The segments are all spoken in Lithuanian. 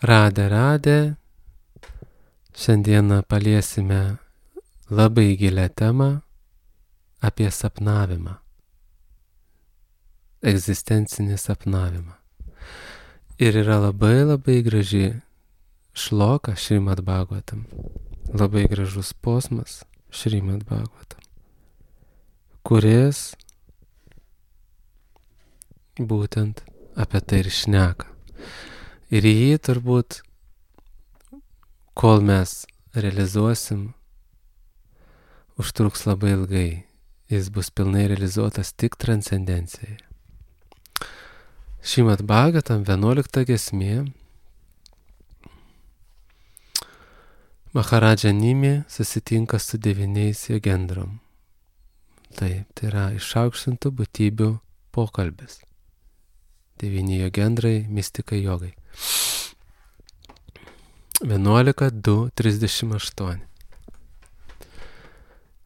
Radė. Šiandieną paliesime labai gilią temą apie sapnavimą. Egzistencinį sapnavimą. Ir yra labai graži šloka Šrimad Bhagavatam. Labai gražus posmas Šrimad Bhagavatam, kuris būtent apie tai ir šneka. Ir jį turbūt, kol mes realizuosim, užtruks labai ilgai. Jis bus pilnai realizuotas tik transcendencijoje. Šrimad Bhagavatam 11 giesmė. Maharadža Nimi susitinka su 9 jogendrom. Tai yra išaukštintų būtybių pokalbis. 9 jogendrai, mistikai, jogai. 11.2.38.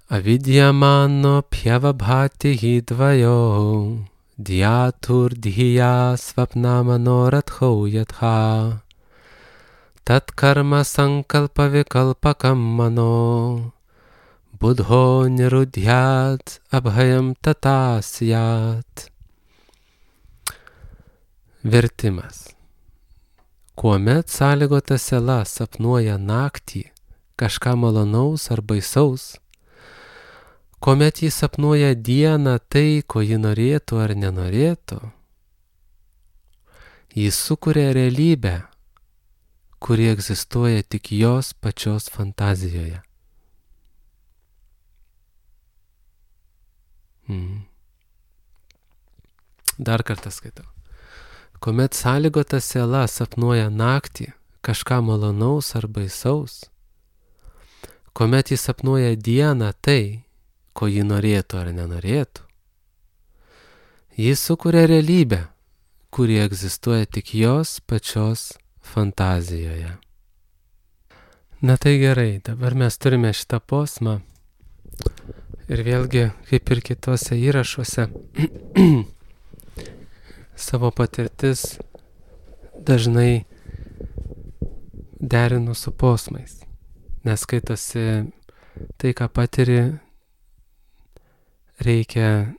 Avidyamano pjavabhati hidvajo dyatur dhya svapnamanorathau yatha tat karma sankalpa vikalpakam mano buddho nirudhyat abhayam tatasyat. Vertimas. Kuomet sąlygota siela sapnuoja naktį kažką malonaus ar baisaus, kuomet jis sapnuoja dieną tai, ko ji norėtų ar nenorėtų, jis sukuria realybę, kuri egzistuoja tik jos pačios fantazijoje. Dar kartą skaitau. Kuomet sąlygota siela sapnuoja naktį kažką malonaus ar baisaus, kuomet jis sapnuoja dieną tai, ko ji norėtų ar nenorėtų, jis sukuria realybę, kuri egzistuoja tik jos pačios fantazijoje. Na tai gerai, dabar mes turime šitą posmą ir vėlgi, kaip ir kitose įrašuose, savo patirtis dažnai derinu su posmais, nes skaitosi tai, ką patiri, reikia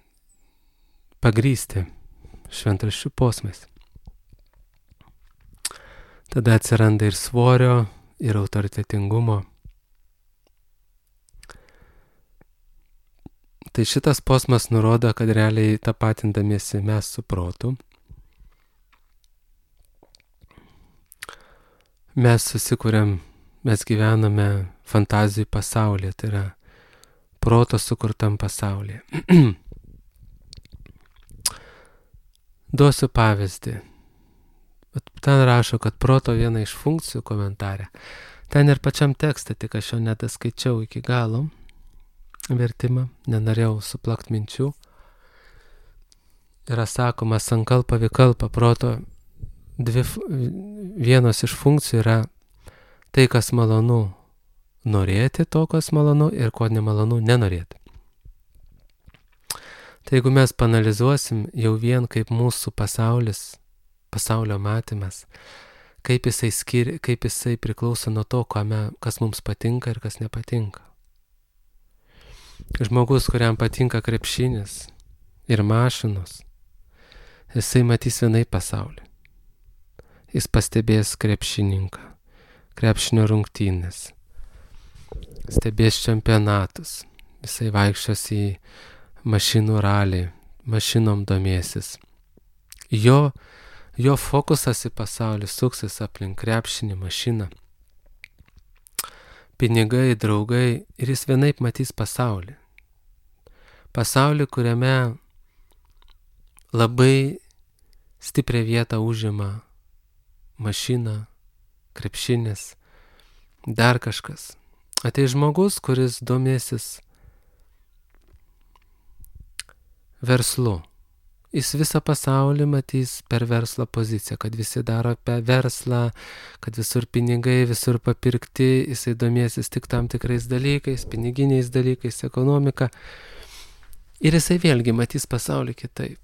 pagrįsti šventraščių posmais. Tada atsiranda ir svorio, ir autoritetingumo. Tai šitas posmas nurodo, kad realiai tapatindamiesi mes su protu, mes susikuriam, mes gyvename fantazijų pasaulyje, tai yra proto sukurtam pasaulyje. Duosiu pavyzdį. Ten rašo, kad proto viena iš funkcijų komentarė. Ten ir pačiam tekste, tik aš jo nedaskaičiau iki galo vertimą, nenorėjau suplakt minčių. Yra sakoma, sankalpa vikalpa, proto vienos iš funkcijų yra tai, kas malonu norėti, to, kas malonu, ir ko nemalonu nenorėti. Tai jeigu mes panalizuosim jau vien kaip mūsų pasaulis, pasaulio matymas, kaip jisai priklauso nuo to, kas mums patinka ir kas nepatinka. Žmogus, kuriam patinka krepšinis ir mašinos, jisai matys vienai pasaulį. Jis pastebės krepšininką, krepšinio rungtynės, stebės čempionatus, jisai vaikščios į mašinų ralį, mašinom domėsis. Jo fokusas į pasaulį suksis aplink krepšinį, mašiną, pinigai, draugai, ir jis vienaip matys pasaulį. Pasaulį, kuriame labai stiprią vietą užima mašina, krepšinis, dar kažkas. Ateis žmogus, kuris domėsis verslu. Jis visą pasaulį matys per verslo poziciją, kad visi daro apie verslą, kad visur pinigai, visur papirkti, jisai domėsis tik tam tikrais dalykais, piniginiais dalykais, ekonomika. Ir jisai vėlgi matys pasaulį kitaip.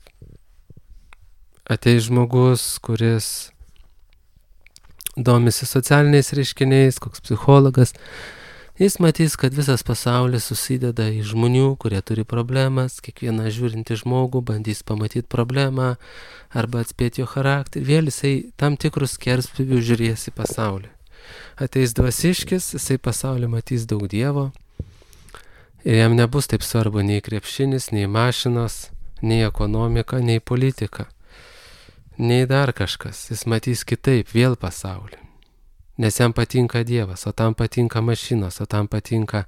Ateis žmogus, kuris domisi socialiniais reiškiniais, koks psichologas, jis matys, kad visas pasaulis susideda į žmonių, kurie turi problemas, kiekvieną žiūrintį žmogų bandys pamatyti problemą arba atspėti jo charakterį, vėl jisai tam tikrus skerspjūvius žiūrės į pasaulį. Ateis dvasiškis, jisai pasaulį matys daug Dievo ir jam nebus taip svarbu nei krepšinis, nei mašinos, nei ekonomika, nei politika, nei dar kažkas. Jis matys kitaip vėl pasaulį. Nes jam patinka Dievas, o tam patinka mašinos, o tam patinka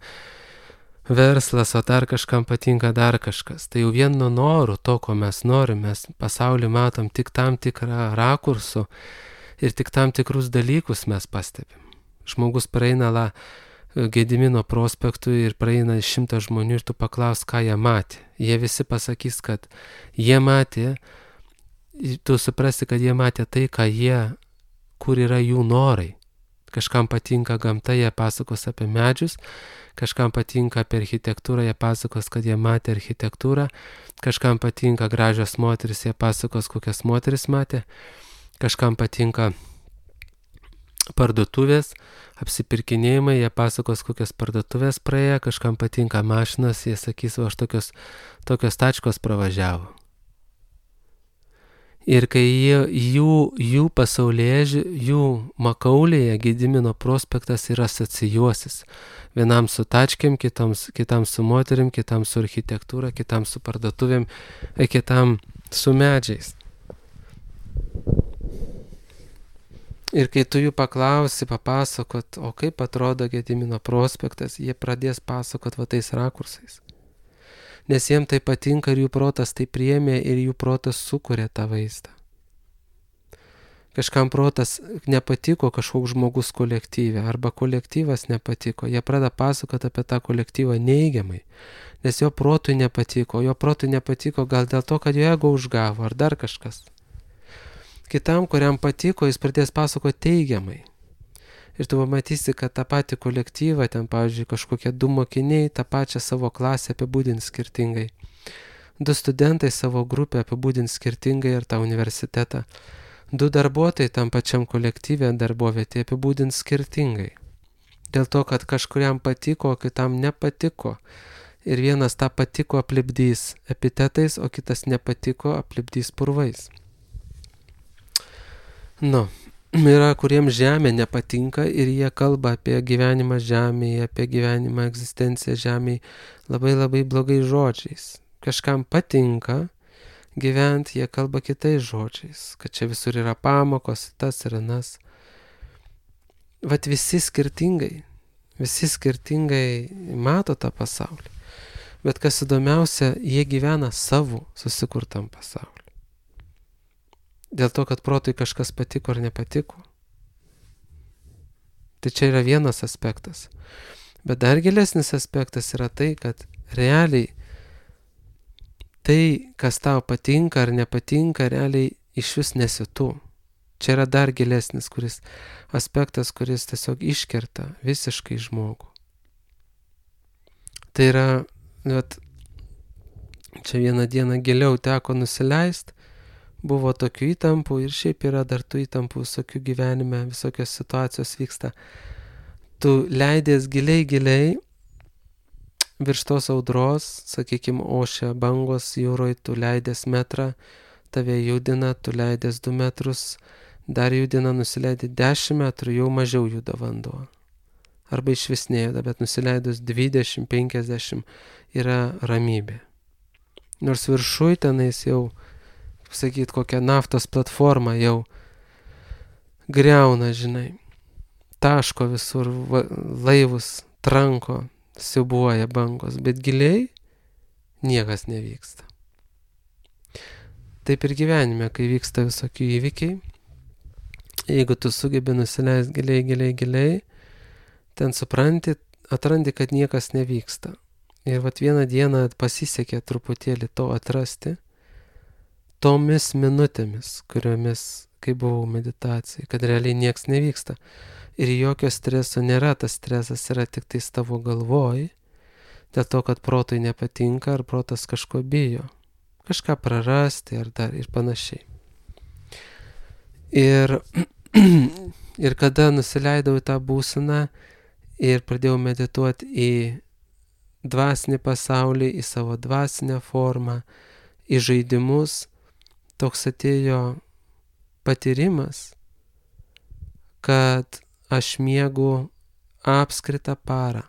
verslas, o dar kažkam patinka dar kažkas. Tai jau vien nuo norų, to, ko mes norim, mes pasaulį matom tik tam tikrą rakursų ir tik tam tikrus dalykus mes pastebim. Žmogus praeina Gedimino prospektu ir praeina 100 žmonių ir tu paklaus, ką jie matė. Jie visi pasakys, kad jie matė, tu suprasi, kad jie matė tai, kur yra jų norai. Kažkam patinka gamta, jie pasakos apie medžius, kažkam patinka apie architektūrą, jie pasakos, kad jie matė architektūrą, kažkam patinka gražios moteris, jie pasakos, kokias moteris matė, kažkam patinka parduotuvės, apsipirkinėjimai, jie pasakos, kokias parduotuvės praėjo, kažkam patinka mašinas, jie sakys, aš tokios tačkos pravažiavo. Ir kai jų pasaulyje, jų makaulėje Gedimino prospektas ir asocijuosis. Vienam su tačkėm, kitam su moterim, kitam su architektūra, kitam su parduotuvėm, kitam su medžiais. Ir kai tu jų paklausi, papasakot, o kaip atrodo Gedimino prospektas, jie pradės pasakot tais rakursais. Nes jiems tai patinka ir jų protas tai priėmė ir jų protas sukuria tą vaizdą. Kažkam protas nepatiko kažkoks žmogus kolektyve arba kolektyvas nepatiko, jie pradeda pasakoti apie tą kolektyvą neigiamai, nes jo protui nepatiko, gal dėl to, kad jo ego užgavo ar dar kažkas. Kitam, kuriam patiko, jis pradės pasakoti teigiamai. Ir tu pamatysi, kad tą patį kolektyvą, ten, pavyzdžiui, kažkokie 2 mokiniai tą pačią savo klasę apibūdins skirtingai. 2 studentai savo grupę apibūdins skirtingai ir tą universitetą. 2 darbuotojai tam pačiam kolektyvė darbovietė apibūdins skirtingai. Dėl to, kad kažkuriam patiko, o kitam nepatiko. Ir vienas tą patiko aplipdys epitetais, o kitas nepatiko aplipdys purvais. Yra, kuriems žemė nepatinka ir jie kalba apie gyvenimą žemėje, apie gyvenimą egzistenciją žemėje labai labai blogais žodžiais. Kažkam patinka gyventi, jie kalba kitais žodžiais, kad čia visur yra pamokos, tas ir anas. Vat visi skirtingai mato tą pasaulį. Bet kas įdomiausia, jie gyvena savo susikurtam pasauliu. Dėl to, kad protui kažkas patiko ar nepatiko. Tai čia yra vienas aspektas. Bet dar gilesnis aspektas yra tai, kad realiai tai, kas tau patinka ar nepatinka, realiai iš vis nesi tu. Čia yra dar gilesnis aspektas, kuris tiesiog iškerta visiškai žmogų. Tai yra, čia vieną dieną giliau teko nusileisti, buvo tokių įtampų ir šiaip yra dar tų įtampų visokių gyvenime, visokios situacijos vyksta. Tu leidės giliai virš tos audros, sakykime, ošia bangos jūroje, tu leidės metrą, tave judina, tu leidės 2 metrus, dar judina, nusileidė 10 metrų, jau mažiau juda vanduo. Arba iš vis nejuda, bet nusileidus 20-50 yra ramybė. Nors viršuj tenais jau kokią naftos platformą jau griauna, taško visur laivus, tranko, siubuoja bangos, bet giliai niekas nevyksta. Taip ir gyvenime, kai vyksta visokių įvykiai, jeigu tu sugebi nusileisti giliai, ten atrandi, kad niekas nevyksta. Ir vieną dieną pasisekė truputėlį to atrasti, tomis minutėmis, kuriomis, kai buvau meditacijai, kad realiai nieks nevyksta. Ir jokio streso nėra, tas stresas yra tik tais tavo galvoj, dėl to, kad protui nepatinka, ar protas kažko bijo. Kažką prarasti, ar dar ir panašiai. Ir Ir kada nusileidau į tą būseną ir pradėjau medituoti į dvasinį pasaulį, į savo dvasinę formą, į žaidimus, toks atėjo patyrimas, kad aš miegu apskritą parą.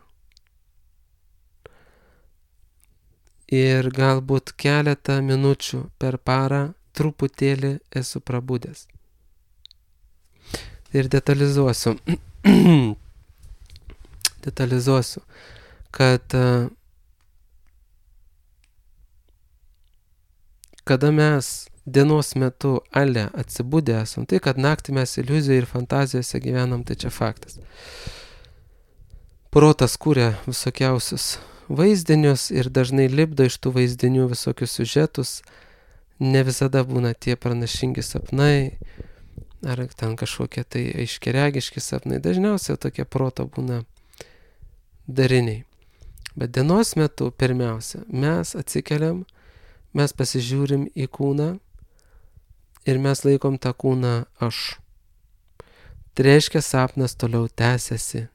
Ir galbūt keletą minučių per parą truputėlį esu prabudęs. Ir detalizuosiu, kad kada mes dienos metu atsibudę esam, tai kad naktį mes iliuzijų ir fantazijose gyvenam, tai čia faktas. Protas kūrė visokiausius vaizdinius ir dažnai lipdo iš tų vaizdinių visokius siužetus, ne visada būna tie pranašingi sapnai, ar ten kažkokie tai aiškiaregiški sapnai, dažniausiai tokie proto būna dariniai. Bet dienos metu pirmiausia, mes atsikeliam, mes pasižiūrim į kūną ir mes laikom tą kūną aš. Tai reiškia, sapnas toliau tęsiasi.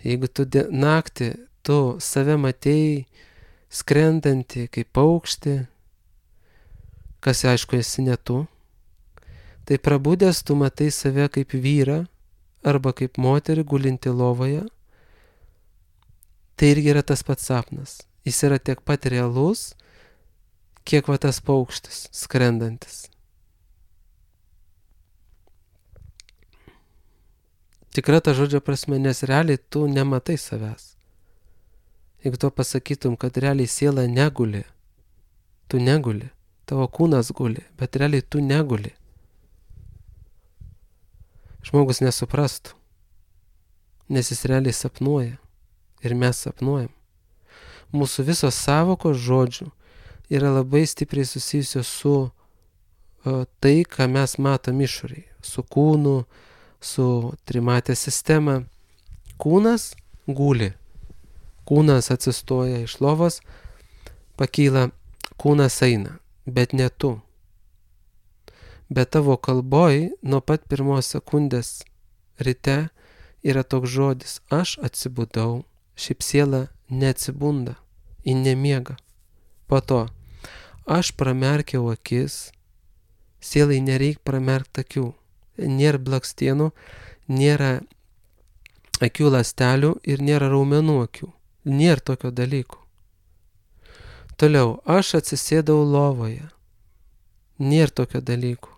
Jeigu tu naktį tu save matei skrendantį kaip paukštį, kas aišku esi ne tu, tai prabudęs tu matai save kaip vyrą arba kaip moterį gulinti lovoje, tai irgi yra tas pats sapnas. Jis yra tiek pat realus, kiek va tas paukštis skrendantis. Tikra ta žodžio prasme, nes realiai tu nematai savęs. Jeigu tu pasakytum, kad realiai siela neguli, tu neguli, tavo kūnas guli, bet realiai tu neguli. Žmogus nesuprastų, nes jis realiai sapnuoja ir mes sapnuojam. Mūsų visos savokos žodžių yra labai stipriai susijusios su tai, ką mes matom išorėje, su kūnu, su trimatė sistema. Kūnas guli, kūnas atsistoja iš lovos, pakyla, kūnas eina, bet ne tu. Bet tavo kalboj nuo pat pirmos sekundės ryte yra toks žodis, aš atsibudau, šiaip siela neatsibunda, ji nemiega. Po to, aš pramerkiau akis, sielai nereik pramerkti akių. Nėra blakstienų, nėra akių ląstelių ir nėra raumenų akių. Nėra tokio dalyko. Toliau, aš atsisėdau lovoje. Nėra tokio dalyko.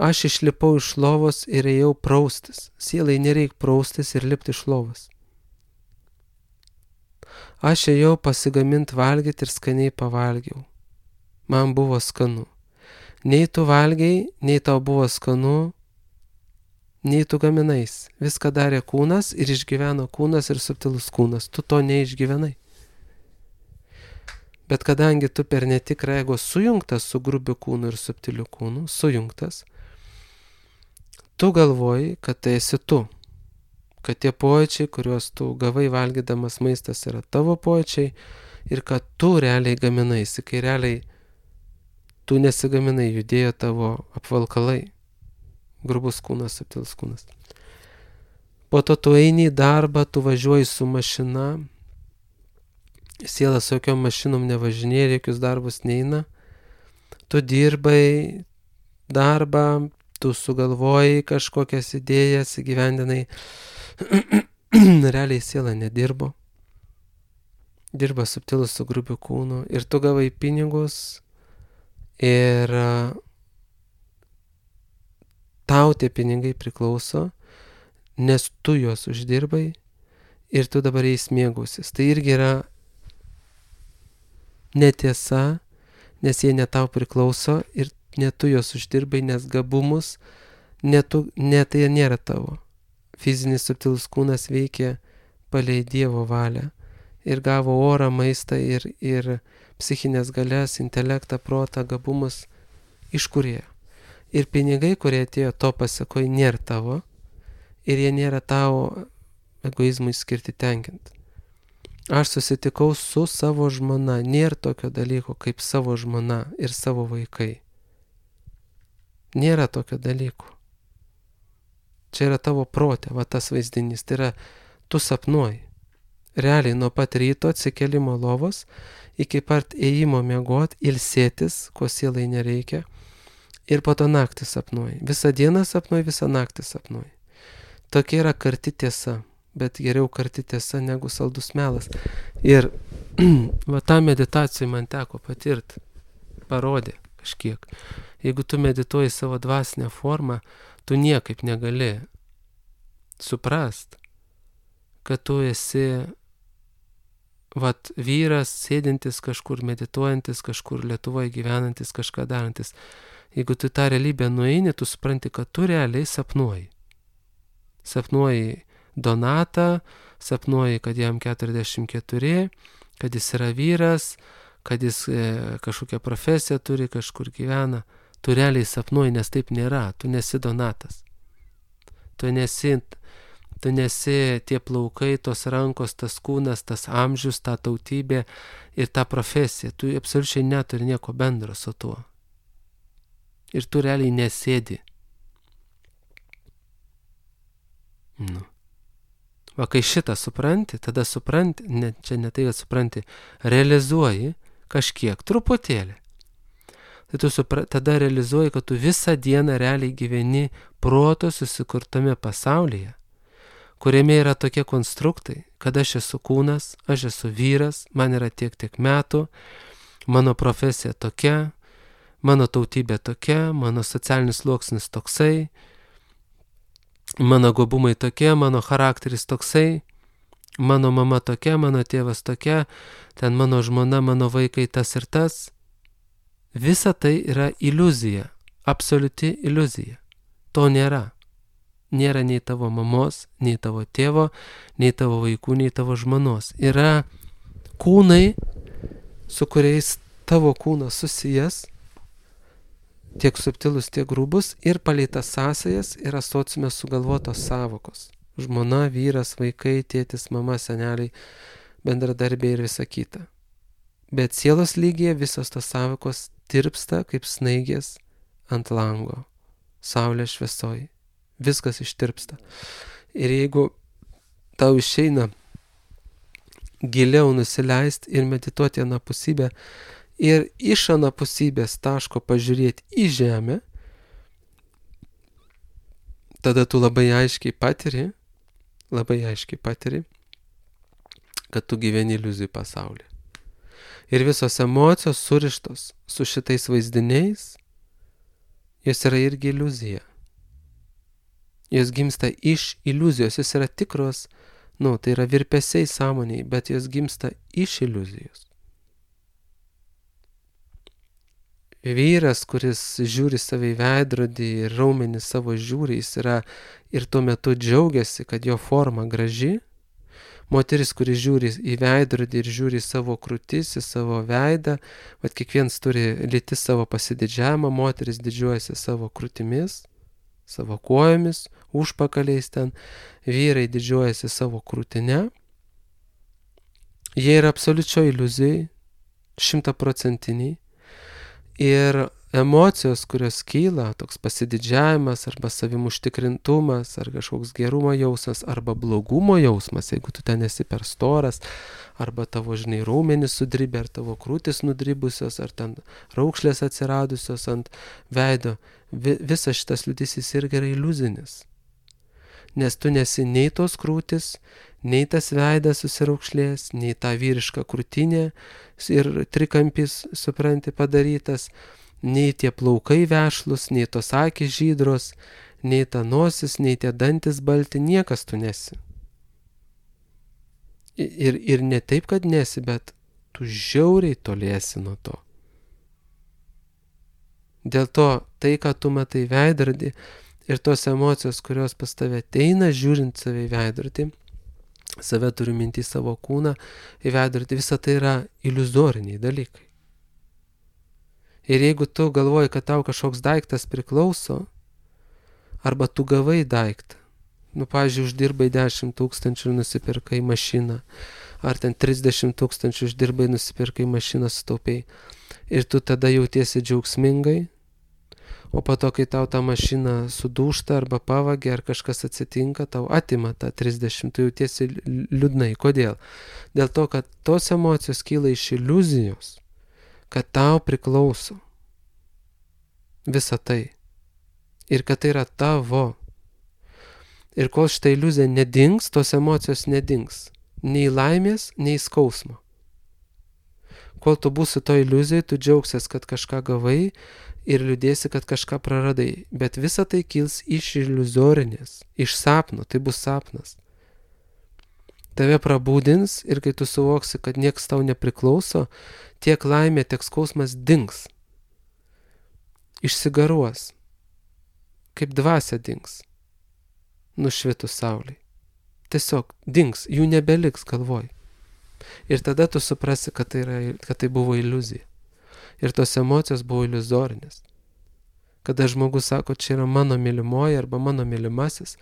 Aš išlipau iš lovos ir ėjau praustis. Sielai nereik praustis ir lipti iš lovos. Aš ėjau pasigaminti valgyti ir skaniai pavalgiau. Man buvo skanu. Nei tu valgiai, nei tau buvo skanu, nei tu gaminais. Viską darė kūnas ir išgyveno kūnas ir subtilus kūnas. Tu to neišgyvenai. Bet kadangi tu per netikrą ego sujungtas su grubiu kūnu ir subtiliu kūnu, sujungtas, tu galvoji, kad tai esi tu. Kad tie pojūčiai, kuriuos tu gavai valgydamas maistas, yra tavo pojūčiai ir kad tu realiai gaminaisi, kai realiai tu nesigaminai, judėjo tavo apvalkalai. Grubus kūnas, subtilus kūnas. Po to tu eini į darbą, tu važiuoji su mašina, siela su jokiom mašinom nevažinėja, jokius darbus neina. Tu dirbai darbą, tu sugalvojai kažkokias idėjas, įgyvendinai. Realiai siela nedirbo. Dirba subtilus su grubiu kūnu ir tu gavai pinigus ir tau tie pinigai priklauso, nes tu juos uždirbai ir tu dabar jais mėgausis. Tai irgi yra netiesa, nes jie ne tau priklauso ir ne tu juos uždirbai, nes gabumus ne tai nėra tavo. Fizinis subtilus kūnas veikia palei Dievo valią ir gavo orą, maistą ir psichinės galias, intelektą, protą, gabumus iš Kūrėjo. Ir pinigai, kurie atėjo to pasakoj, nėra tavo ir jie nėra tavo egoizmui skirti tenkinti. Aš susitikau su savo žmona, nėra tokio dalyko kaip savo žmona ir savo vaikai. Nėra tokio dalyko. Čia yra tavo protė, va tas vaizdinys. Tai yra, tu sapnuoji. Realiai nuo pat ryto atsikelimo lovos iki pat ėjimo miegot, ilsėtis, ko sielai nereikia. Ir po to naktį sapnuoji. Visą dieną sapnuoji, visą naktį sapnuoji. Tokia yra karti tiesa. Bet geriau karti tiesa negu saldus melas. Ir va tą meditaciją man teko patirti. Parodė kažkiek. Jeigu tu medituoji savo dvasinę formą, tu niekaip negali suprast, kad tu esi vyras, sėdintis kažkur, medituojantis, kažkur Lietuvoje gyvenantis, kažką darantis. Jeigu tu tą realybę nueini, tu supranti, kad tu realiai sapnuoji. Sapnuoji Donatą, sapnuoji, kad jam 44, kad jis yra vyras, kad jis kažkokią profesiją turi, kažkur gyvena. Tu realiai sapnuoji, nes taip nėra. Tu nesi Donatas. Tu nesi tie plaukai, tos rankos, tas kūnas, tas amžius, ta tautybė ir ta profesija. Tu absoliučiai neturi nieko bendro su tuo. Ir tu realiai nesėdi. Va, kai šitą supranti, tada supranti, čia ne tai, kad supranti, realizuoji kažkiek, truputėlį. Tai tu tada realizuoji, kad tu visą dieną realiai gyveni proto susikurtame pasaulyje, kuriame yra tokie konstruktai, kad aš esu kūnas, aš esu vyras, man yra tiek metų, mano profesija tokia, mano tautybė tokia, mano socialinis sluoksnis toksai, mano gabumai tokie, mano charakteris toksai, mano mama tokia, mano tėvas tokia, ten mano žmona, mano vaikai tas ir tas. Visa tai yra iliuzija, absoliuti iliuzija. To nėra. Nėra nei tavo mamos, nei tavo tėvo, nei tavo vaikų, nei tavo žmonos. Yra kūnai, su kuriais tavo kūnas susijęs, tiek subtilus, tiek grubus, ir palei tas sąsajas yra sociume sugalvotos savokos. Žmona, vyras, vaikai, tėtis, mama, seneliai, bendradarbiai ir visa kita. Bet sielos lygyje visos tos savokos tirpsta kaip snaigės ant lango, saulės šviesoj. Viskas ištirpsta. Ir jeigu tau išeina giliau nusileisti ir medituoti anapusybę ir iš anapusybės taško pažiūrėti į žemę, tada tu labai aiškiai patiri, kad tu gyveni iliuzijų pasaulyje. Ir visos emocijos surištos su šitais vaizdiniais, jos yra irgi iliuzija. Jos gimsta iš iliuzijos, jos yra tikros, tai yra virpesiai sąmoniai, bet jos gimsta iš iliuzijos. Vyras, kuris žiūri save į veidrodį ir raumenį savo žiūri, jis yra ir tuo metu džiaugiasi, kad jo forma graži. Moteris, kuris žiūri į veidrodį ir žiūri į savo krūtis, į savo veidą, bet kiekvienas turi lytis savo pasididžiavimą, moteris didžiuojasi savo krūtimis, savo kojomis, užpakaliais ten, vyrai didžiuojasi savo krūtinę. Jie yra absoliučioj iliuzijai, 100%. Ir emocijos, kurios kyla, toks pasididžiavimas arba savim užtikrintumas, ar kažkoks gerumo jausmas, arba blogumo jausmas, jeigu tu ten esi per storas, arba tavo, raumenys sudribę, ar tavo krūtis nudribusios, ar ten raukšlės atsiradusios ant veido, visas šitas liūdesys irgi yra iliuzinis. Nes tu nesi nei tos krūtis, nei tas veidas susiraukšlės, nei ta vyriška krūtinė ir trikampis, supranti, padarytas, nei tie plaukai vešlus, nei tos akys žydros, nei ta nosis, nei tie dantis balti, niekas tu nesi. Ir ne taip, kad nesi, bet tu žiauriai toliesi nuo to. Dėl to tai, ką tu matai veidrodį ir tos emocijos, kurios pas tave ateina, žiūrint save į veidrodį, save turiu minti savo kūną, į veidrodį, visa tai yra iliuzoriniai dalykai. Ir jeigu tu galvoji, kad tau kažkoks daiktas priklauso, arba tu gavai daiktą, pavyzdžiui, uždirbai 10 000 ir nusipirkai mašiną, ar ten 30 000 uždirbai, nusipirkai mašiną, sutaupiai, ir tu tada jautiesi džiaugsmingai, O po to, kai tau ta mašina sudūžta arba pavagia ar kažkas atsitinka, tau atima tą 30, tu jautiesi liūdnai. Kodėl? Dėl to, kad tos emocijos kyla iš iliuzijos, kad tau priklauso visa tai. Ir kad tai yra tavo. Ir kol šitą iliuziją nedings, tos emocijos nedings. Nei laimės, nei skausmo. Kol tu būsi to iliuzijai, tu džiaugsies, kad kažką gavai ir liūdėsi, kad kažką praradai. Bet visa tai kils iš iliuzorinės, iš sapno, tai bus sapnas. Tave prabūdins ir kai tu suvoksi, kad nieks tau nepriklauso, tiek laimė, tiek skausmas dings. Išsigaruos. Kaip dvasia dings. Nušvitus saulei. Tiesiog dings, jų nebeliks galvoj. Ir tada tu suprasi, kad tai buvo iliuzija. Ir tos emocijos buvo iliuzorinės. Kada žmogus sako, čia yra mano mylimoji arba mano mylimasis,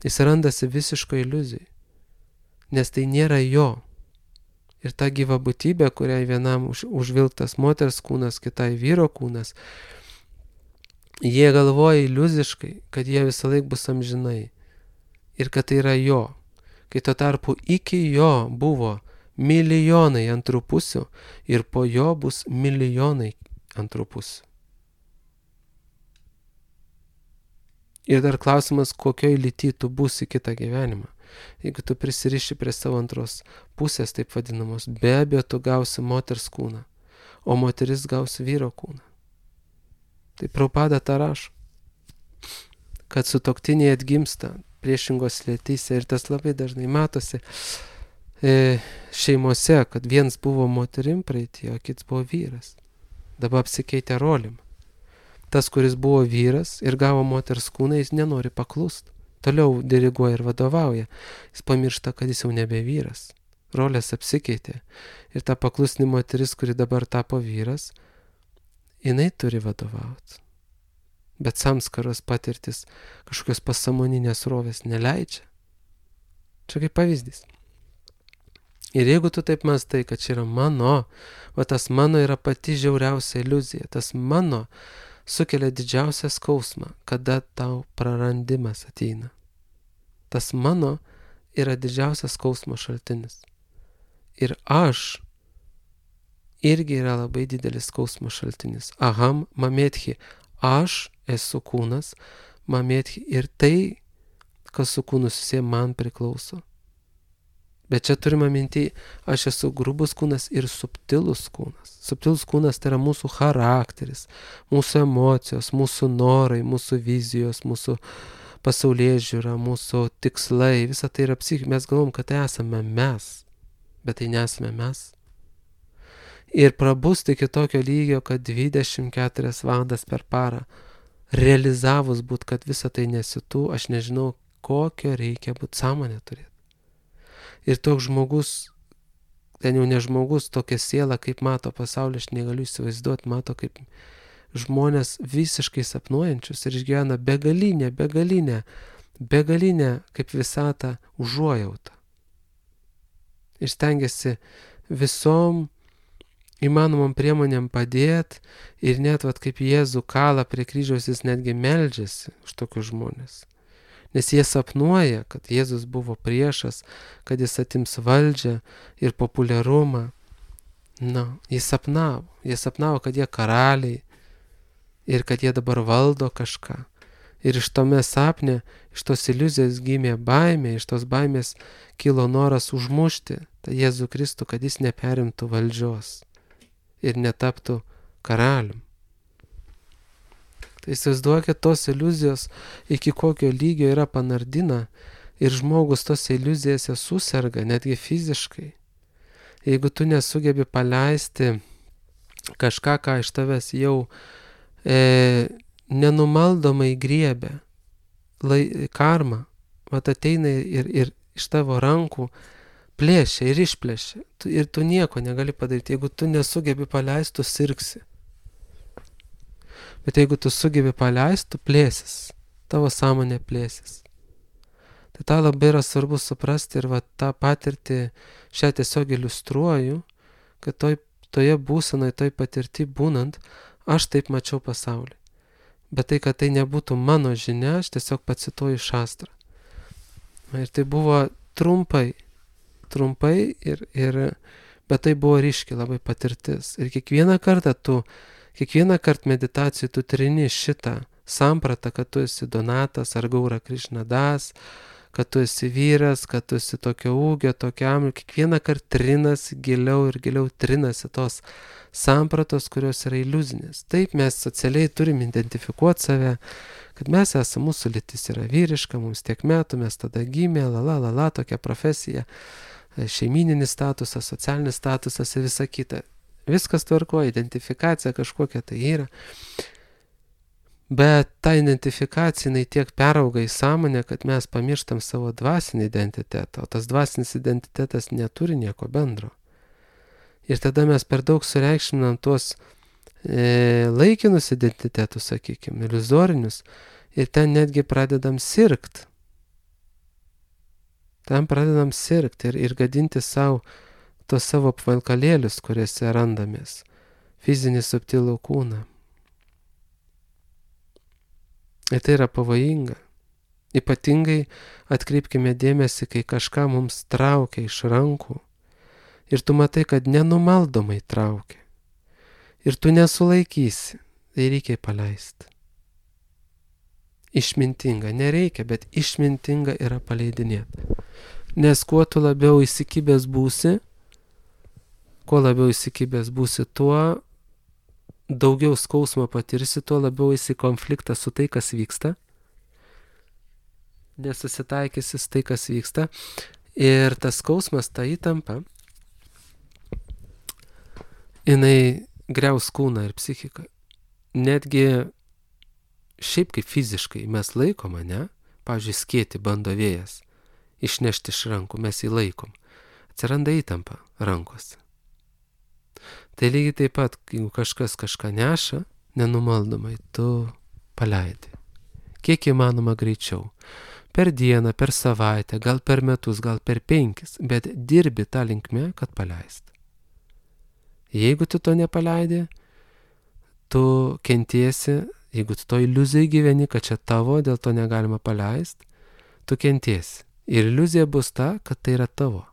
jis randasi visiško iliuzijai. Nes tai nėra jo. Ir ta gyva būtybė, kuriai vienam užvilktas moters kūnas, kitai vyro kūnas, jie galvoja iliuziškai, kad jie visą laik bus amžinai. Ir kad tai yra jo. Kai tuo tarpu iki jo buvo milijonai antrų pusių ir po jo bus milijonai antrų pusių. Ir dar klausimas, kokioj lyty tu būsi kitą gyvenimą. Jeigu tu prisiriši prie savo antros pusės, taip vadinamos, be abejo tu gausi moters kūną, o moteris gausi vyro kūną. Tai Prabhupada tą rašo, kad sutuoktiniai atgimsta priešingos lytyse ir tas labai dažnai matosi šeimose, kad vienas buvo moterim praeitie, o kits buvo vyras. Dabar apsikeitė rolim. Tas, kuris buvo vyras ir gavo moters kūną, jis nenori paklust. Toliau diriguoja ir vadovauja. Jis pamiršta, kad jis jau nebe vyras. Rolės apsikeitė. Ir ta paklusni moteris, kuri dabar tapo vyras, jinai turi vadovauti. Bet samskaros patirtis kažkokios pasąmoninės rovės neleidžia. Čia kaip pavyzdys. Ir jeigu tu taip mąstai, kad čia yra mano, o tas mano yra pati žiauriausia iliuzija, tas mano sukelia didžiausią skausmą, kada tau prarandimas ateina. Tas mano yra didžiausias skausmo šaltinis. Ir aš irgi yra labai didelis skausmo šaltinis. Aham mametchi, aš esu kūnas, mametchi ir tai, kas su kūnu susiję, man priklauso. Bet čia turime minti, aš esu grubus kūnas ir subtilus kūnas. Subtilus kūnas tai yra mūsų charakteris, mūsų emocijos, mūsų norai, mūsų vizijos, mūsų pasaulėžiūra, mūsų tikslai, visa tai yra psichika. Mes galvom, kad tai esame mes, bet tai nesame mes. Ir prabusti iki tokio lygio, kad 24 valandas per parą realizavus būt, kad visa tai nesi tu, aš nežinau, kokio reikia būt sąmonę turėti. Ir toks žmogus, ten jau ne žmogus, tokia siela, kaip mato pasaulį, aš negaliu įsivaizduoti, mato kaip žmonės visiškai sapnuojančius ir išgyvena begalinę kaip visatą užuojautą. Ir stengiasi visom įmanomam priemonėm padėti ir net kaip Jėzų kalą prie kryžiaus jis netgi meldžiasi už tokius žmonės. Nes jie sapnuoja, kad Jėzus buvo priešas, kad jis atims valdžią ir populiarumą. Jie sapnavo, kad jie karaliai ir kad jie dabar valdo kažką. Ir iš tome sapne, iš tos iliuzijos gimė baimė, iš tos baimės kilo noras užmušti tą Jėzų Kristų, kad jis neperimtų valdžios ir netaptų karalium. Tai įsivaizduokit, tos iliuzijos iki kokio lygio yra panardina ir žmogus tos iliuzijose suserga, netgi fiziškai. Jeigu tu nesugebi paleisti kažką, ką iš tavęs jau nenumaldomai griebia, karma, ateina ir iš tavo rankų plėšia ir išplėšia. Ir tu nieko negali padaryti. Jeigu tu nesugebi paleisti, tu sirgsi. Bet jeigu tu sugebi paleisti, tu plėsis. Tavo sąmonė plėsis. Tai tą labai yra svarbu suprasti ir tą patirtį šią tiesiog iliustruoju, kad toje būsenoje, toj patirti būnant, aš taip mačiau pasaulį. bet tai, kad tai nebūtų mano žinia, aš tiesiog pacituoju Šastrą. Ir tai buvo trumpai, bet tai buvo ryški labai patirtis. Ir kiekvieną kartą meditacijų tu trini šitą sampratą, kad tu esi Donatas ar Gaura Krišnadas, kad tu esi vyras, kad tu esi tokio ūgio, tokiam, ir kiekvieną kartą trinasi giliau ir giliau trinasi tos sampratos, kurios yra iliuzinės. Taip mes socialiai turim identifikuoti save, kad mes esame, mūsų lytis yra vyriška, mums tiek metų, mes tada gimė, tokia profesija, šeimininis statusas, socialinis statusas ir visa kita. Viskas tvarko, identifikacija kažkokia tai yra. Bet ta identifikacija, jinai tiek perauga į sąmonę, kad mes pamirštam savo dvasinį identitetą, o tas dvasinis identitetas neturi nieko bendro. Ir tada mes per daug sureikšminam tuos laikinus identitetus, sakykime, iliuzorinius, ir ten netgi pradedam sirgt. Ir gadinti savo tos savo apvalkalėlius, kuriuose randamės, fizinį subtilų kūną. Ir tai yra pavojinga. Ypatingai atkreipkime dėmesį, kai kažką mums traukia iš rankų ir tu matai, kad nenumaldomai traukia. Ir tu nesulaikysi, tai reikia paleisti. Išmintinga, nereikia, bet išmintinga yra paleidinėti. Nes kuo tu labiau įsikibęs būsi, tuo daugiau skausmo patirsi, tuo labiau esi konfliktą su tai, kas vyksta. Nesusitaikysi su tai, kas vyksta. Ir tas skausmas, ta įtampa, jinai griaus kūną ir psichiką. Netgi šiaip kaip fiziškai mes laikom, ne? Pavyzdžiui, skėtį bando vėjas išnešti iš rankų, mes jį laikom. Atsiranda įtampa rankose. Tai lygiai taip pat, jeigu kažkas kažką neša, nenumaldomai, tu paleidi. Kiek įmanoma greičiau. Per dieną, per savaitę, gal per metus, gal per 5, bet dirbi tą linkme, kad paleist. Jeigu tu to nepaleidi, tu kentiesi, jeigu tu to iliuzijai gyveni, kad čia tavo, dėl to negalima paleist, tu kentiesi. Ir iliuzija bus ta, kad tai yra tavo.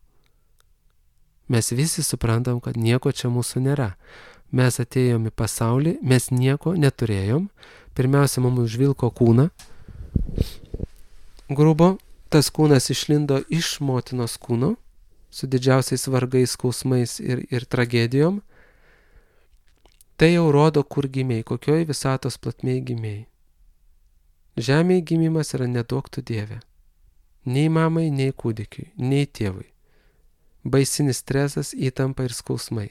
Mes visi suprantam, kad nieko čia mūsų nėra. Mes atėjom į pasaulį, mes nieko neturėjom. Pirmiausia, mums užvilko kūną. Grubo, tas kūnas išlindo iš motinos kūno, su didžiausiais vargais, skausmais ir tragedijom. Tai jau rodo, kur gimėjai, kokioj visatos platmėj gimėjai. Žemėje gimimas yra neduok tu Dieve. Nei mamai, nei kūdikiui, nei tėvui. Baisinis stresas, įtampa ir skausmai.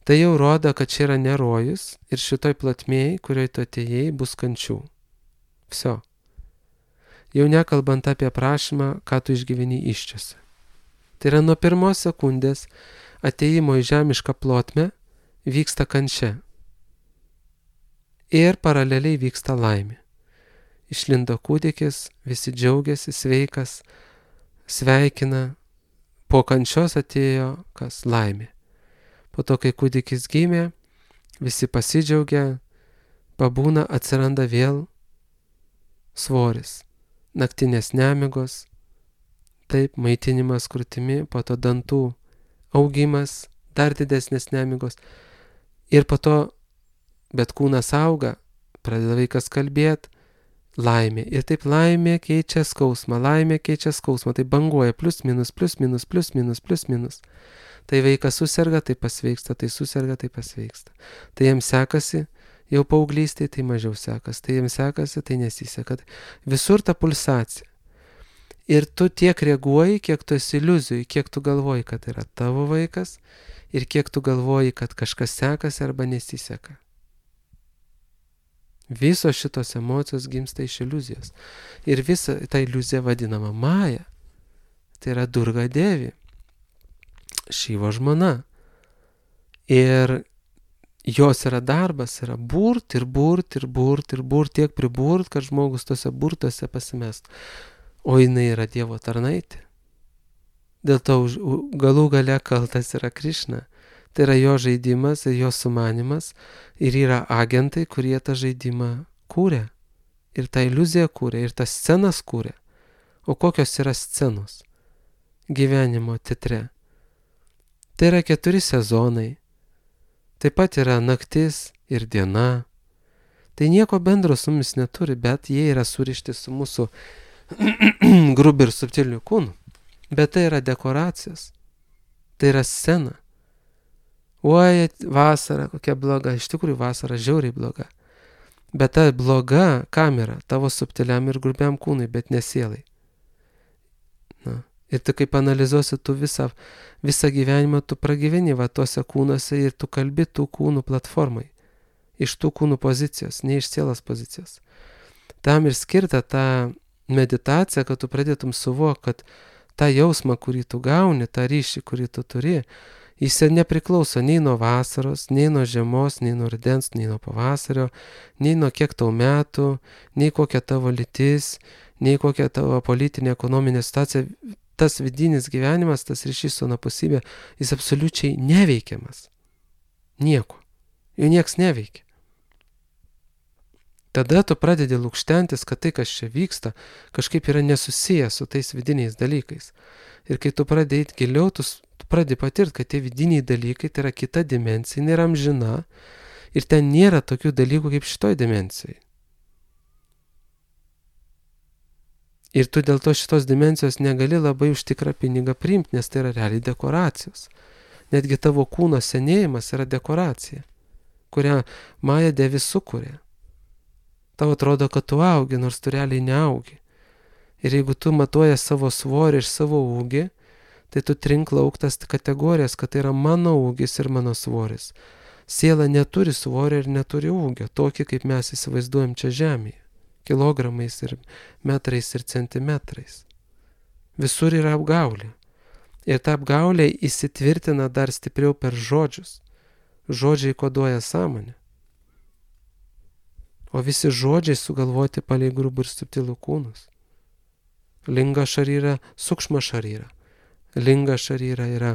Tai jau rodo, kad čia yra ne rojus ir šitoj platmėj, kurioje tu atėjai, bus kančių. Viso. Jau nekalbant apie prašymą, ką tu išgyveni iščiose. Tai yra nuo pirmos sekundės atėjimo į žemišką plotmę vyksta kančia. Ir paraleliai vyksta laimė. Išlindo kūdikis, visi džiaugiasi, sveikas, sveikina. Po kančios atėjo kas? Laimė. Po to, kai kūdikis gimė, visi pasidžiaugia, pabūna, atsiranda vėl svoris, naktinės nemigos, taip, maitinimas krūtimi, po to dantų augimas, dar didesnės nemigos. Ir po to, bet kūnas auga, pradeda vaikas kalbėti, laimė. Ir taip laimė keičia skausmą, tai banguoja plius minus. Tai vaikas suserga, tai pasveiksta, tai suserga, tai pasveiksta. Tai jam sekasi, jau paauglystėje, tai mažiau sekasi, tai jam sekasi, tai nesiseka. Visur ta pulsacija. Ir tu tiek reaguoji, kiek tu esi iliuzijoj, kiek tu galvoji, kad yra tavo vaikas ir kiek tu galvoji, kad kažkas sekasi arba nesiseka. Visos šitos emocijos gimsta iš iliuzijos. Ir visa ta iliuzija vadinama Maja. Tai yra Durga Devi, Šivo žmona. Ir jos yra darbas, yra burt, tiek priburt, kad žmogus tose burtuose pasimest. O jinai yra Dievo tarnaitė. Dėl to galų gale kaltas yra Krišna. Tai yra jo žaidimas ir jo sumanimas ir yra agentai, kurie tą žaidimą kūrė. Ir tą iliuziją kūrė, ir tas scenas kūrė. O kokios yra scenos gyvenimo teatre? Tai yra 4 sezonai. Taip pat yra naktis ir diena. Tai nieko bendro su mumis neturi, bet jie yra surišti su mūsų grubiu ir subtiliu kūnu. Bet tai yra dekoracijos. Tai yra scena. Oi, vasara kokia bloga. Iš tikrųjų vasara žiauriai bloga. Bet ta bloga kamera tavo subtiliam ir grubiam kūnui, bet ne sielai. Na. Ir tu kaip analizuosi tu visą gyvenimą, tu pragyveni va tuose kūnuose ir tu kalbi tų kūnų platformai. Iš tų kūnų pozicijos, ne iš sielos pozicijos. Tam ir skirta ta meditacija, kad tu pradėtum suvokti, kad tą jausmą, kurį tu gauni, tą ryšį, kurį tu turi, jis nepriklauso nei nuo vasaros, nei nuo žiemos, nei nuo rudens, nei nuo pavasario, nei nuo kiek tau metų, nei kokia tavo lytis, nei kokia tavo politinė, ekonominė situacija. Tas vidinis gyvenimas, tas ryšys su anapusybė, jis absoliučiai neveikiamas. Nieko. Jo nieks neveikia. Tada tu pradedi lukštentis, kad tai, kas čia vyksta, kažkaip yra nesusijęs su tais vidiniais dalykais. Ir kai tu pradedi eiti giliau, tu pradedi patirti, kad tie vidiniai dalykai tai yra kita dimensija, jinai yra amžina ir ten nėra tokių dalykų kaip šitoj dimensijai. Ir tu dėl to šitos dimensijos negali labai už tikrą pinigą priimti, nes tai yra realiai dekoracijos. Netgi tavo kūno senėjimas yra dekoracija, kurią Maja Devi sukūrė. Tau atrodo, kad tu augi, nors tu realiai neaugi. Ir jeigu tu matuoji savo svorį ir savo ūgį, tai tu trink lauk tas kategorijas, kad tai yra mano ūgis ir mano svoris. Siela neturi svorio ir neturi ūgio, tokį kaip mes įsivaizduojam čia žemėje. Kilogramais ir metrais ir centimetrais. Visur yra apgaulė. Ir ta apgaulė įsitvirtina dar stipriau per žodžius. Žodžiai koduoja sąmonę. O visi žodžiai sugalvoti palei grubų ir subtilų kūnus. Linga šaryra, sukšma šaryra. Linga šaryra yra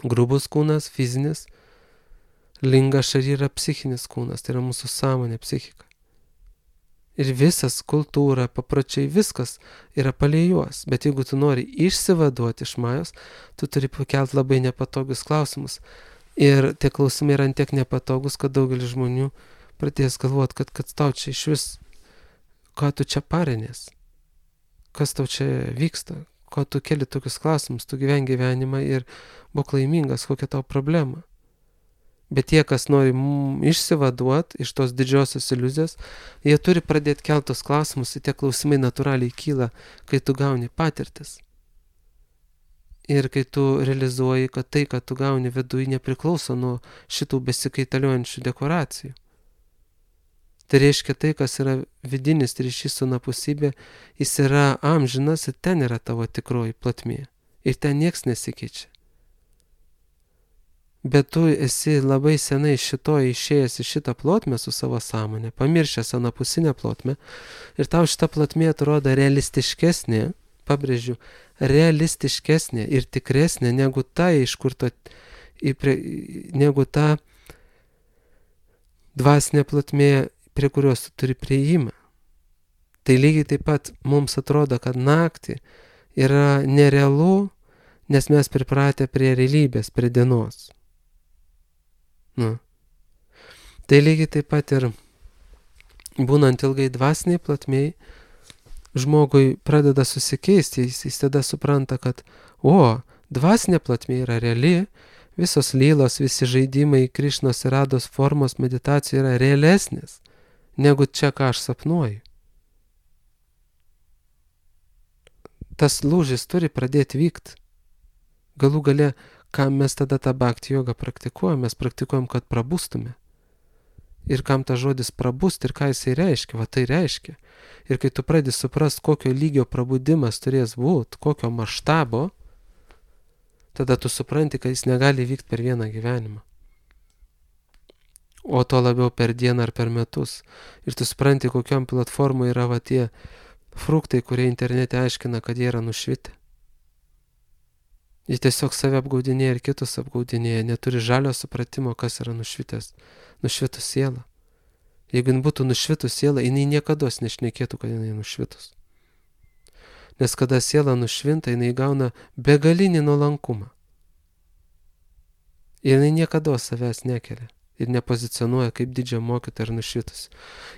grubus kūnas, fizinis. Linga šaryra psichinis kūnas, tai yra mūsų sąmonė, psichika. Ir visas kultūra, papročiai, viskas yra palei juos. Bet jeigu tu nori išsivaduoti iš Majos, tu turi pakelti labai nepatogius klausimus. Ir tie klausimai yra tiek nepatogus, kad daugelis žmonių pradės galvoti, kad tau čia iš vis, ką tu čia parinės, kas tau čia vyksta, ko tu keli tokius klausimus, tu gyveni gyvenimą ir būk laimingas, kokia tau problema. Bet tie, kas nori išsivaduoti iš tos didžiosios iliuzijos, jie turi pradėti keltos klausimus ir tie klausimai natūraliai kyla, kai tu gauni patirtis. Ir kai tu realizuoji, kad tai, kad tu gauni viduje, nepriklauso nuo šitų besikaitaliojančių dekoracijų. Tai reiškia tai, kas yra vidinis ryšys su anapusybė, jis yra amžinas ir ten yra tavo tikroji plotmė. Ir ten nieks nesikeičia. Bet tu esi labai senai šitoje išėjęs į šitą plotmę su savo sąmonė, pamiršęs anapusinę plotmę ir tau šita plotmė atrodo realistiškesnė, pabrėžiu, realistiškesnė ir tikresnė negu ta, negu ta dvasinė plotmė, prie kurios tu turi priėjimą. Tai lygiai taip pat mums atrodo, kad naktį yra nerealu, nes mes pripratę prie realybės, prie dienos. Tai lygiai taip pat ir būnant ilgai dvasiniai plotmėj, žmogui pradeda susikeisti, jis tada supranta, kad dvasinė plotmė yra reali, visos lylos, visi žaidimai, Krišnos ir Rados formos meditacija yra realesnės negu čia, ką aš sapnuoju. Tas lūžis turi pradėti vykti. Galų gale, kam mes tada tą bhakti jogą praktikuojam? Mes praktikuojam, kad prabustume. Ir kam tas žodis prabust ir ką jisai reiškia? Va tai reiškia. Ir kai tu pradedi suprast, kokio lygio prabudimas turės būti, kokio maštabo, tada tu supranti, kad jis negali vykti per vieną gyvenimą. O to labiau per dieną ar per metus. Ir tu supranti, kokiam platformai yra va tie fruktai, kurie internete aiškina, kad jie yra nušvitę. Jis tiesiog save apgaudinėja ir kitus apgaudinėja, neturi žalio supratimo, kas yra nušvitus siela. Jeigu jin būtų nušvitus siela, jinai niekados nešnekėtų, kad jinai nušvitus. Nes kada siela nušvinta, jinai gauna begalinį nuolankumą. Ir jinai niekados savęs nekelia ir nepozicionuoja kaip didžią mokytoją ar nušvitus.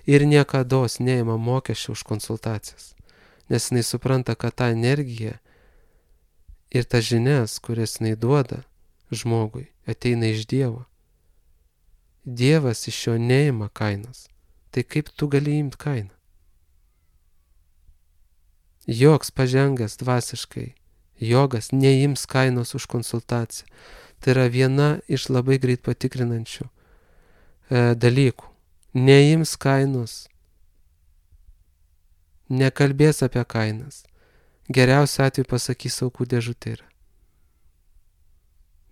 Ir niekados neima mokesčių už konsultacijas. Nes jinai supranta, kad ta energija ir ta žinias, kurias jinai duoda žmogui, ateina iš Dievo. Dievas iš jo neima kainos. Tai kaip tu gali imti kainą? Joks pažengęs dvasiškai jogas neims kainos už konsultaciją. Tai yra viena iš labai greit patikrinančių dalykų. Neims kainos. Nekalbės apie kainas. Geriausiu atveju pasakys aukų dėžutė yra.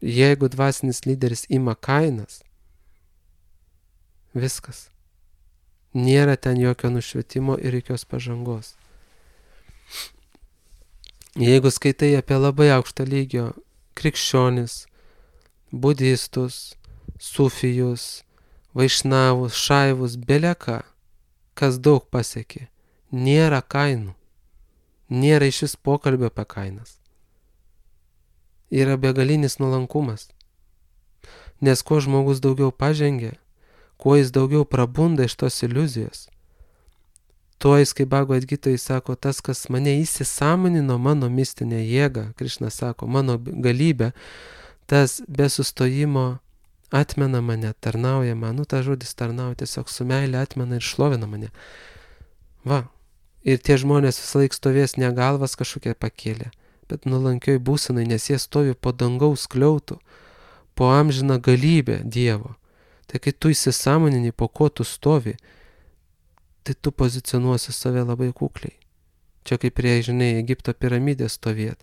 Jeigu dvasinis lyderis ima kainas, viskas. Nėra ten jokio nušvietimo ir jokios pažangos. Jeigu skaitai apie labai aukštą lygio krikščionis, budistus, sufijus, vaišnavus, šaivus, beleką, kas daug pasiekė, nėra kainų. Nėra iš vis pokalbio apie kainas. Yra begalinis nuolankumas. Nes kuo žmogus daugiau pažengia, kuo jis daugiau prabunda iš tos iliuzijos, tuo jis, kaip Bhagavad Gita, jis sako, tas, kas mane įsisąmonino, mano mistinę jėgą, Krišna sako, mano galybę, tas be sustojimo atmena mane, tarnauja man, ta žodis tarnauja, tiesiog su meilė atmena ir šlovina mane. Va. Ir tie žmonės visą laik stovės ne galvas kažkokie pakėlė, bet nuolankioj būsenai, nes jie stovi po dangaus skliautų, po amžiną galybę Dievo. Tai kai tu įsisąmonini, po ko tu stovi, tai tu pozicionuosi save labai kukliai. Čia kaip prie, žinai, Egipto piramidės stovėt.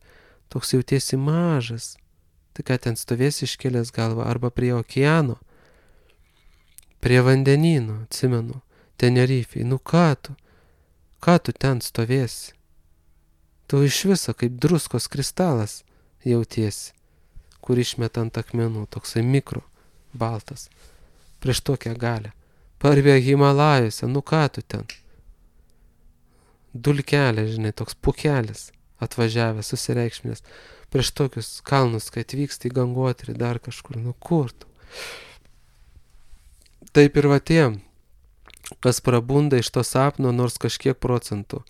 Toks jautiesi mažas. Tai ką ten stovėsi iškėlęs galvą, arba prie okeano, prie vandenyno, atsimenu, Tenerifei. Nu ką tu ten stovėsi? Tu iš viso kaip druskos kristalas jautiesi, kur išmeta ant akmenų, toksai mikro, baltas, prieš tokią galę. Parvė Himalajuose, nu ką tu ten? Dulkelė, žinai, toks pukelis atvažiavęs, susireikšminės, prieš tokius kalnus, kai atvyksta į Gangotrį, dar kažkur, nu kur tu? Taip ir va tiem, kas prabunda iš to sapno nors kažkiek procentų.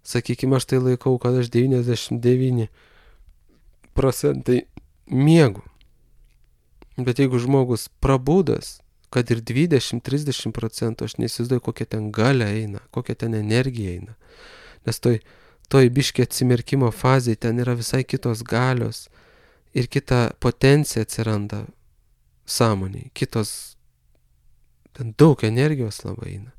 Sakykime, aš tai laikau, kad aš 99% miegu. Bet jeigu žmogus prabudas, kad ir 20-30%, aš neįsivaizduoju, kokia ten galia eina, kokia ten energija eina. Nes toj biškė atsimerkimo fazėje ten yra visai kitos galios ir kita potencija atsiranda sąmoniai, kitos ten daug energijos labai eina.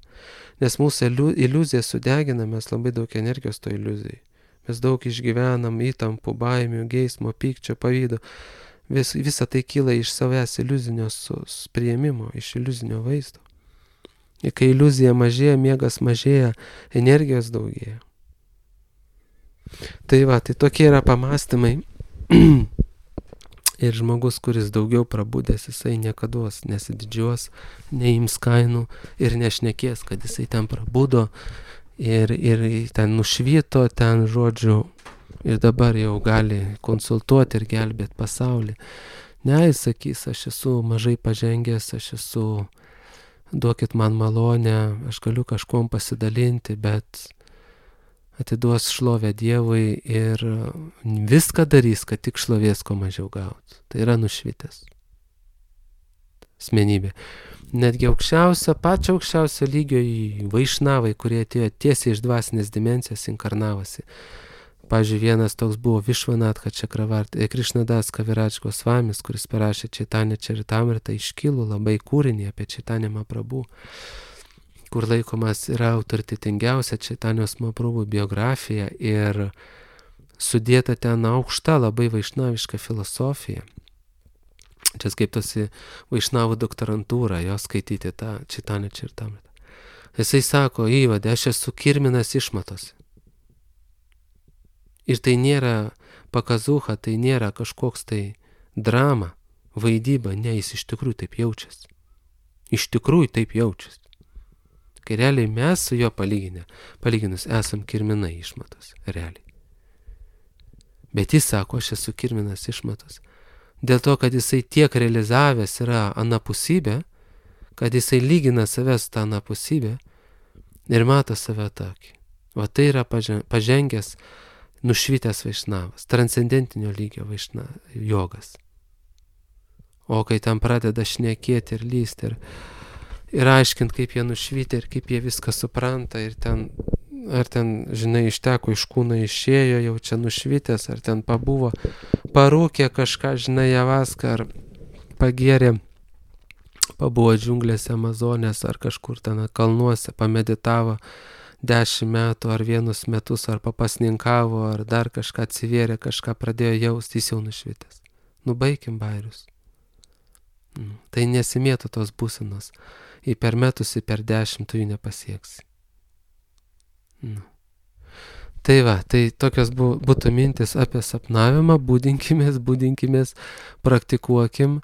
Nes mūsų iliuzija sudegina, mes labai daug energijos to iliuzijai. Mes daug išgyvenam įtampų, baimių, geismo, pykčio, pavydo. Visa tai kyla iš savęs iliuzinio priėmimo, iš iliuzinio vaizdo. Ir kai iliuzija mažėja, miegas mažėja, energijos daugėja. Tai va, tai tokie yra pamąstymai. Ir žmogus, kuris daugiau prabudęs, jisai niekados nesididžiuos, neims kainų ir nešnekės, kad jisai ten prabudo ir ten nušvito, ten žodžiu, ir dabar jau gali konsultuoti ir gelbėti pasaulį. Ne, jis sakys, aš esu mažai pažengęs, aš esu, duokit man malonę, aš galiu kažkuom pasidalinti, bet atiduos šlovę Dievui ir viską darys, kad tik šlovės ko mažiau gautų. Tai yra nušvitęs asmenybė. Netgi pačio aukščiausio lygio į vaišnavai, kurie atėjo tiesiai iš dvasinės dimensijos, inkarnavosi. Pavyzdžiui, vienas toks buvo Višvanatha Čakravarti, Krišnadas Kaviraj Gosvamis, kuris parašė Chaitanya Charitamrita, iškilų labai kūrinį apie Chaitanya Mahaprabhu, kur laikomas yra autoritetingiausia Čaitanijos Mahaprabhu biografija ir sudėta ten aukšta labai vaišnaviška filosofija. Čia skaitosi vaišnavų doktorantūra, jo skaityti tą Chaitanya Charitamrita. Jisai sako, įvadė, aš esu kirminas išmatosi. Ir tai nėra Pakazuha tai nėra kažkoks tai drama, vaidyba, ne, jis iš tikrųjų taip jaučiasi. Iš tikrųjų taip jaučiasi. Kai realiai mes su juo palyginus esam kirminai išmatos, realiai. Bet jis sako, aš esu kirminas išmatos. Dėl to, kad jisai tiek realizavęs yra anapusybė, kad jisai lygina save su tą anapusybę ir mato save tokį. O tai yra pažengęs, nušvitęs vaišnavas, transcendentinio lygio jogas. O kai tam pradeda šnekėti ir lysti ir aiškint, kaip jie nušvitę ir kaip jie viską supranta ir ar ten, žinai, išteko iš kūno išėjo, jau čia nušvitęs, ar ten pabuvo, parūkė kažką, žinai, javaską, ar pagėrė, pabuvo džiunglėse Amazonės, ar kažkur ten kalnuose, pameditavo 10 metų, ar 1 metus, ar papasninkavo, ar dar kažką atsivėrė, kažką pradėjo jausti, jis jau nušvitęs. Nubaikim bairius. Tai nesimėtų tos būsenos. Į per metus, į per 10 tu jų nepasieksi. Tai va, tai tokios būtų mintis apie sapnavimą, būdinkimės, praktikuokim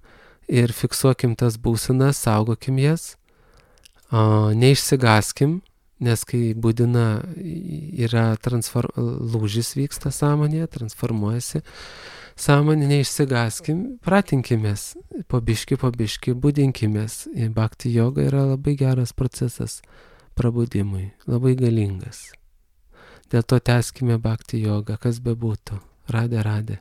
ir fiksuokim tas būsenas, saugokim jas, neišsigaskim, nes kai būdina yra lūžis vyksta sąmonėje, transformuojasi sąmonė, neišsigaskim, pratinkimės, po biški, būdinkimės. Bhakti joga yra labai geras procesas prabudimui, labai galingas. Dėl to tęskime bhakti jogą, kas bebūtų. Radė.